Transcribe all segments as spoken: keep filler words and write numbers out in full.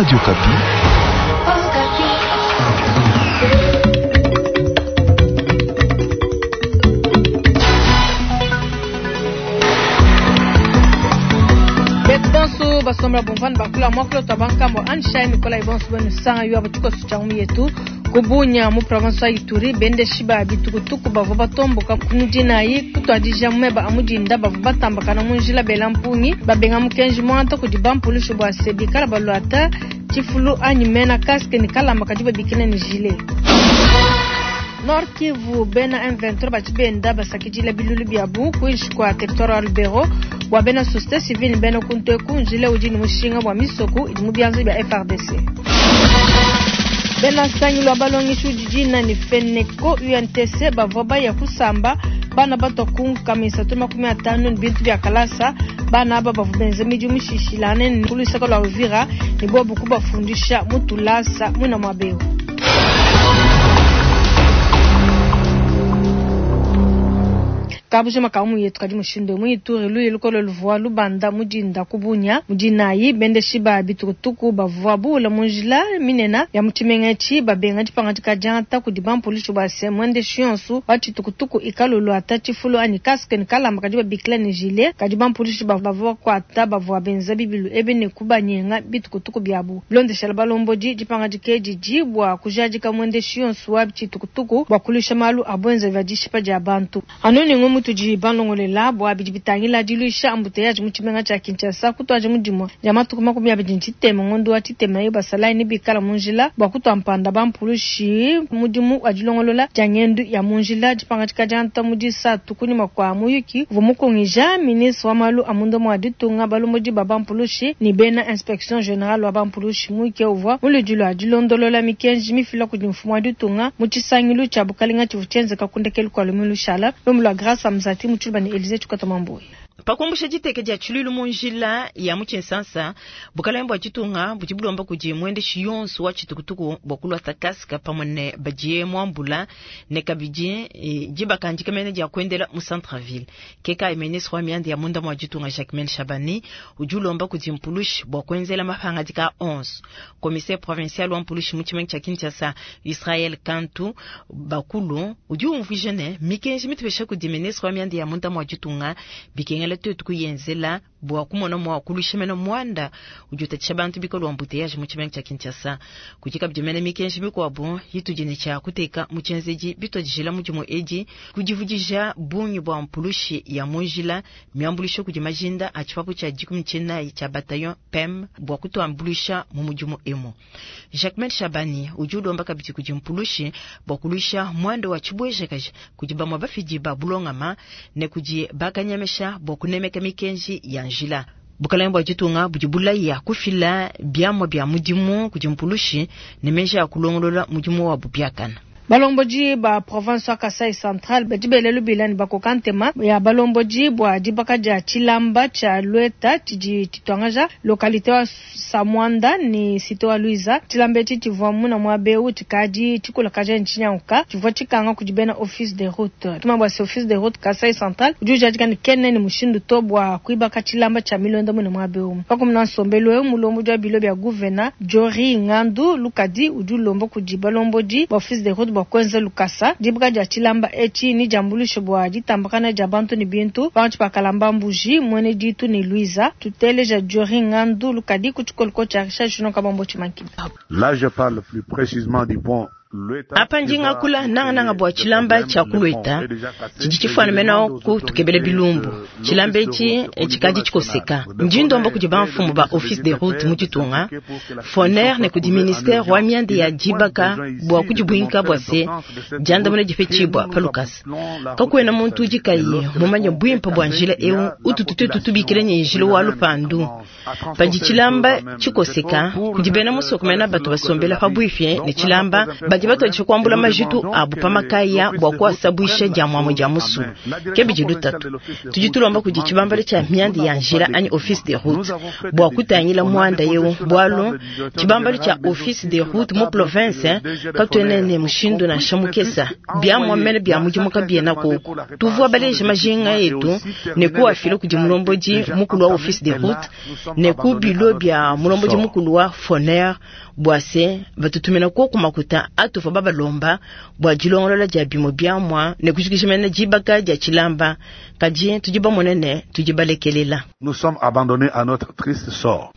Radio Okapi. Bonso basomla bomvana bakula mwakula tabankambo anshine Nicolas Ibonso benu sanga yo abatuko sucha yetu kubunya mu province ya Ituri bende shiba bitukutuku bavua batomboka kunudinayi kutwadija mumeba amudinda bavua batambakana mu njila bela mpungi babenga mukenji mwanta kudi bampulushu bua se bikala baluata tshifulu anyi mena casque ni kalamba kadi babikina ni gilet. Nord Kivu bena M vingt-trois bachibenda basakidila bilulu byabu kuinshi kwa territoire Lubero bwa bena société civile bena kunte kunjile udi ni mushinga bwa misoko idi mu byanza bya F R D C. Bena sangi lwa balongishu jijina ni Feneco U N T C bavua baya kusamba bana batokunga misatu makumi atano ni bintu bya kalasa bana aba bavua benza midi mishishilane ni kulusaka lwa Uvira ni bobu kubafundisha mutulasa mwina mwabeo. Kabuje makamu yetu kadi mushindo mu Ituri lu ilukolo luvua lubanda mudinda kubunya mudinayi bende shiba bitukutuku bavua bula munjila minena ya muchimenga babenga dipanga dikajanta kudi bampulishi bwa se mwende shionsu wa chitukutuku ikalulu ata chifulu ani casque ni kalamba kadi babikila ni gilet kadi bampulishi bavua kwata bavua benza bibilu ebe ne kubanyenga bitukutuku byabu blonde shala balomboji dipanga dikeji jibwa kujadika mwende shionsu wa chitukutuku bwa kulisha malu abwenza vya dishipa dia bantu anoni ngomu tuji banlongolela bwa bidi bitangila diluisha embouteillage mu tshimenga tshia Kinshasa kutwaje mudimo dia matuku makumi abidi ntshitema ngondo wa tshitema yo basalayi ne bikala mu njila bwa kutwa mpanda bampulushi mudimu wa dilongolola dia ngendu ya mu njila dipanga dikadianta mu disatu kunyima kua muyuki uvua mukongija ministre wa malu a munda mua ditunga balomodi ba bampulushi ni bena inspection générale wa bampulushi muyuki uvua muludi lua dilondolola mikenji mifila kudi mfumu wa ditunga mu tshisangilu tshia bukalenga tshivua tshienzeka kundekelu kua lumingu lushala lumu lua Grâce Mzati Mutshilba ni Elise Chikota Mamboyi. Pakumbusha diteke dia tshilulu mu njila ya mu Tshinsansa, bukalenga bua ditunga budi bulomba kudi mwendeshi yonso wa tshitukutuku bua kuluata casque pamue ne badiye muambula ne kabidi e, dibakandika mene dia kuendela mu centre-ville. Keka ministre wa mianda ya munda mua ditunga Jacquemaine Shabani udi ulomba kudi mpulushi bua kuenzela mapangadika onze. Commissaire provincial wa mpulushi mu tshimenga tshia Kinshasa Israël Kantu Bakulu udi umvuija ne mikenji mitupesha kudi ministre wa mianda ya munda mua ditunga bikengela tuetu kuyenzela bua kumona mua kulusha mena mwanda udi utatshisha bantu bikolo embouteillage mu tshimenga tshia Kinshasa. Kudi kabidi mena mikenji mikuabu yitudi ne tshia kuteka mu tshienzedi bitwadijila mudimu edi kudivudija bungi bua mpulushi ya mu njila miambulisha kudi majinda a tshipapu tshia dikumi tshinayi tshia bataillon P E M bua kutuambulisha mu mudimu emu. Jacquemaine Shabani udi ulomba kabidi kudi mpulushi bua kulusha mwanda wa tshibwejakaji kudi bamwe bafidi ba bulongama ne kudi bakanyamesha bua kunemeka mikenji ya njila. Bukalenga bua ditunga budi bulaya kufila biamwa bia mudimu kudi mpulushi ne meji a kulongolola mudimu wabu biakana. Balomboji ba province wa Kasai Central badi belelu bilani bakokantema ya balomboji bwa dibaka dia tshilamba tshia Lueta tshidi tshitwangaja localité wa Samwanda ni cité wa Luiza. Tshilamba etshi tshivua muna mwa beu tshikadi tshikulakaja ntshinyanguka tshivua tshikanga kudi bena office de route. Tuma bwa se office de route Kasai Central udi ujadika ne kene ni mushindu to bwa kuibaka tshilamba tshia milonda muna mwa beu. Pakumuna nsombelu eu mulomboji wa bilo bia gouverneur Jori Ngandu Lukadi udi ulomba kudi balomboji ba office de route bwa kwenza lukasa dibaka dia tshilamba etshi ni diambulisho bwa ditambakana dia bantu ni bintu bantu bakalamba mbuji mwene ditu ni Luiza. Tuteleja Jori Ngandu Lukadi ku tshikoloko tshia Richard Juno Kabambo Tshimanki. Là je parle plus précisément du pont Apa ndinga kula nanga nanga bwa tshilamba tshia kulweta tshidi tshifana mena ku tukebele bilumbu tshilamba etshi tshikadi tshikoseka ndi ndomba kudi bamfumu ba office de route mu ditunga foner ne kudi ministère wa mianda ya dibaka bua kudibwinka bua se diandamuna dipetshibua pa lukasa kakuena muntu udi kayi mumanye bwimpe bua njila eu ututu tuetu tubikila ne njila wa lupandu padi tshilamba tshikoseka kudi bena musoko mena bato basombela pa bwifye ne tshilamba badi Bakadi batuadije kuambula majitu abu pa makaya bua kuasabwisha dia muamue dia musulu. Ke bidi lutatu. Tudi tulomba kudi tshibambalu tshia mianda ya njila anyi office de route bua kutangila muanda eu, bualu tshibambalu tshia office de route mu province katuena ne mushindu nansha mukesa. Biamua mene bia mudimu kabiena koku. Tuvua baleje majinga etu ne kuafila kudi mulombodi mukulu wa office de route ne ku bilo bia mulombodi mukulu wa Foner bua se batutumina koku makuta atuvua babalomba bua dilongolola dia bimue biamua ne kujikija mene dibaka dia tshilamba, kadi tudi bamone ne tudi balekelela. Nous sommes abandonnés à notre triste sort.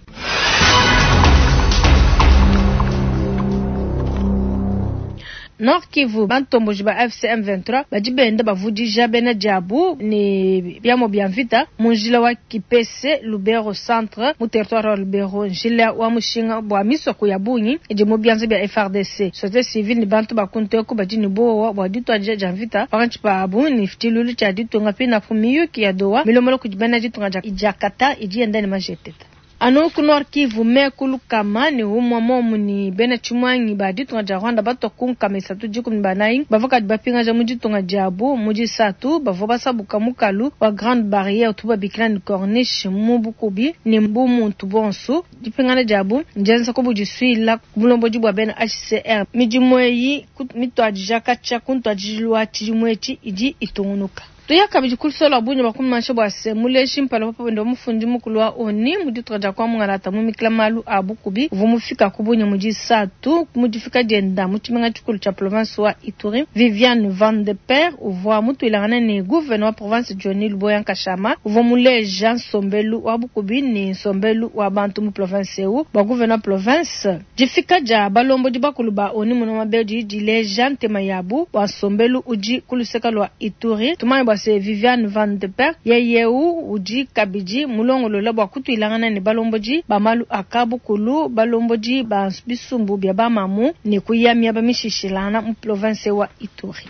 Nord Kivu, bantomboji ba A F C M vingt-trois badi benda bavudija bena diabu ne biamo bia mvita mu njila wa Kipese Lubero centre mu territoire wa Lubero, njila wa mushinga bua misoko ya bungi idi mu bianza bia F R D C. Société civile ni bantu bakunteku badi ne bowa bua dituadija dia mvita pakantshi pabu ni tshilulu tshia ditunga pina pu miyuki ya Doha milomolo kudi bena ditunga dia Jakarta idi yenda ne majeteta. Anu ku Nord Kivu mekulu kama ni umwa momu ni bena chimwangi ba ditunga dia Rwanda bato kunkama isatu dikumi banayi bavua bapingaja mu ditunga diabu mu disatu bavua basabuka mukalu wa Grande Barrière tuba bikila ni Corniche mu Bukubi ni mbu muntu bonsu dipingana diabu njenza ko budisuila mulombodi bwa bena H C R midimu eyi mitwadija katshia kuntwadijilwa tshidimu etshi idi itungunuka. Tuya kabidi kulusolo bunye bakumansha bwa se muleshi mpala papa ndo mufundi mukulu wa oni mu ditunga dia kwa mungalata mu mikila malu a Bukubi uvu mufika ku bunye mu disatu mu difika dienda mu tshimenga tshikulu tshia province wa Ituri. Viviane Van de Per uvua mutuilangana ne gouverneur wa province Johnny Luboya Nkashama uvua muleja nsombelu wa Bukubi ne nsombelu wa bantu mu province eu bwa gouverneur province. Difika dia balombodi bakulu ba oni muno mabedi dileja ntema yabu wa nsombelu udi kuluseka lwa Ituri. Tumanye bwa se Viviane Van de Per yeyeu udi kabidi mulongolola bwa kutuilangana ne balombodi ba malu akabukulu balombodi ba bisumbu bya bamamu ne kuyamia bamishishilana mu province wa Ituri.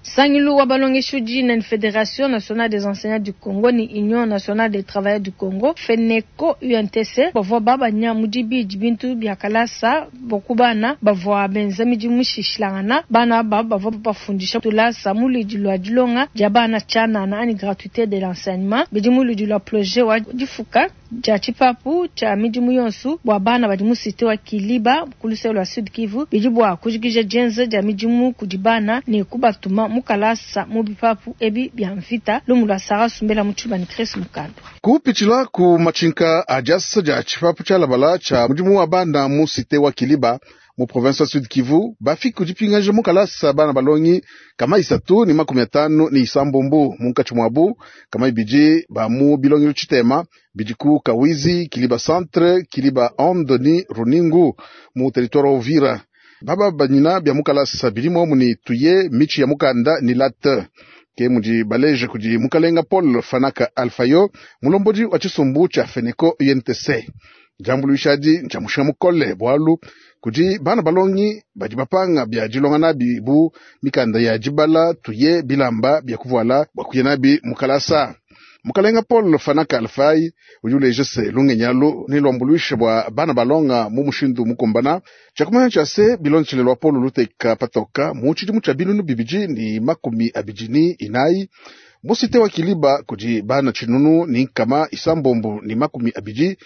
Sangilu wa balongeshi udi na Fédération nationale des enseignants du Congo ni Union nationale des travailleurs du Congo FENECO U N T C bavua babanya mudibidi bintu bia kalasa bokubana bavua benza midimu mishishilangana bana ba bavua bafundisha tulasa mulidi lwa dilonga dia bana tshianana ani gratuité de l'enseignement bidi mulidi lwa projet wa difuka dia tshipapu tshia midimu yonsu bua bana badi mu cité wa Kiliba ku luseke lwa Sud Kivu bidi bua kujikija dienza dia midimu kudi bana ne kubatuma mukalasa mu bipapu ebi bia mvita lumu lwa Sara Sumbela mu tshiba ni Chris Mukando. Kupitshila ku machinka a diasa dia tshipapu tshia labala tshia mudimu wa bana mu cité wa Kiliba mu province wa Sud Kivu bafiki kudipingaja mukalasa bana balongi kama isatu ni makumi atano ni isambombo munkatshi mwabu kama ibidi ba mu bilongelo tshitema bidiku Kawizi Kiliba centre Kiliba Andoni Runingu mu territoire wa Uvira. Baba banyina bya mukalasa bilimo muni tuye michi ya mukanda ni late ke mudi baleje kudi mukalenga Paul Fanaka Alfayo mulombodi wa tshisumbu tshia FENECO U N T C. Jambuluishadi ntshia mushinga mukole bwalu kudi bana balongi badi bapanga bya dilonga nabi bu mikanda ya dibala tuye bilamba bya kuvuala bwa kuya nabi mukalasa. Mukalenga Paul Fanaka Alfai udi uleja se lungenyalu ni lwambuluisha bwa bana balonga mu mushindu mukumbana tshiakumanya tshia se bilonetshile lwa Paul luteka patoka mu tshidimu tshia binunu bibidi ni makumi abidi ni inayi mu cité wa Kiliba kudi bana tshinunu ni nkama isambombo ni makumi abidi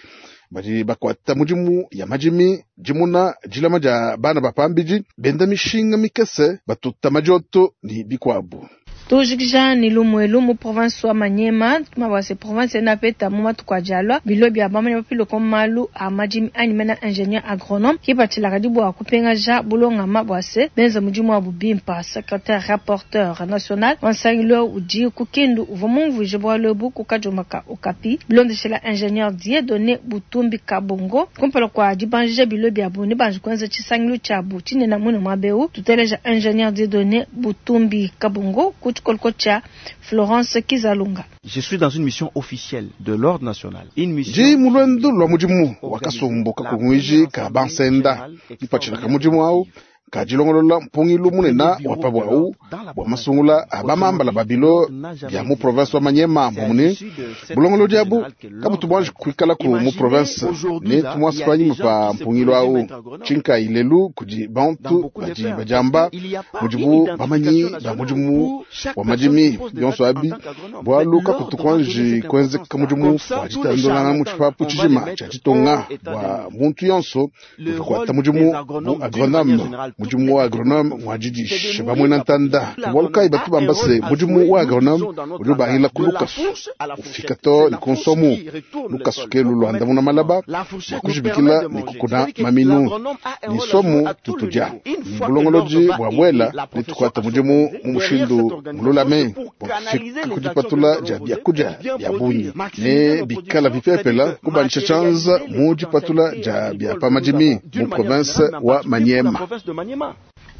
badi bakwata mudimu ya majimi dimuna dilama dia bana bapambidi benda mishinga mikese batuta majioto ni bikwabu. Tujikija ni lumwelu mu province wa Manyema mabase province na peta mu matuku jalwa bilo bya bamanya bapilo ko malu a majimi ani mena ingénieur agronome kipatila kadibu akupenga ja bulonga mabwase benza mudimu wa bubimpa secrétaire rapporteur national wansangilo udi kukindu uva mumvuje bwa lobu kukajomaka okapi bilondeshela ingénieur Dieudonné Butumbi Kabongo kumpala kwa dibanje bilo bya bu ne banje kwenza tshisangilo tshiabu tshinena mune mwabeu tuteleja ingénieur Dieudonné Butumbi Kabongo Kolkocha Florence Kizalunga. Je suis dans une mission officielle de l'ordre national. Une mission Ji mulwendo lwa mudimu wakasumbuka kungwiji ka bansenda ipachila ka mudimu au ka dilongolola mpungilu munena wa pabwawu bwa masungula a bamambala babilo bya mu province wa Manyema mbumuni bulongolodi abu kabutu bwanji kuikalaku mu province ne tumwasi panyima pa mpungilu awu tshinkayi lelu kudi bantu badi badiamba mudibu bamanyi ba mudimu wa madimi bionso abi bwalu kakutu kwanji kuenzeka mudimu wa ditandulangana mu tshipapu tshijima tshia ditunga bwa muntu yonso udi kuata mudimu bu agronome mudimu wa agronome ngwa bamwena ntanda bwalu kayi batu bamba se mudimu wa agronome udi ubangila ku lukasu ufika to ne ku nsomu lukasu ke luluandamuna malaba bua kujibikila ne kukuna maminu ni somu tutudia ni bulongolodi bua bwela ne tukuata mudimu mu mushindu mululame bua kufika ku dipatula dia biakudia bia bungi ne bikala bipepela kubanisha tshianza mu dipatula dia bia pa madimi mu province wa Maniema.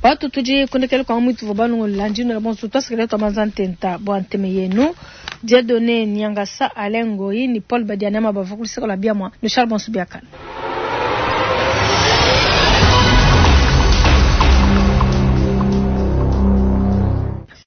Batu tudi kundekele kwa mwitu vwa balongola njino la bonso twasikele twabanza ntenta bwa nteme yenu Dieudonné Nyangasa Alain Ngoyi ni Paul Badianama bava kuliseko la biamwa no Charles Bonso Biakana.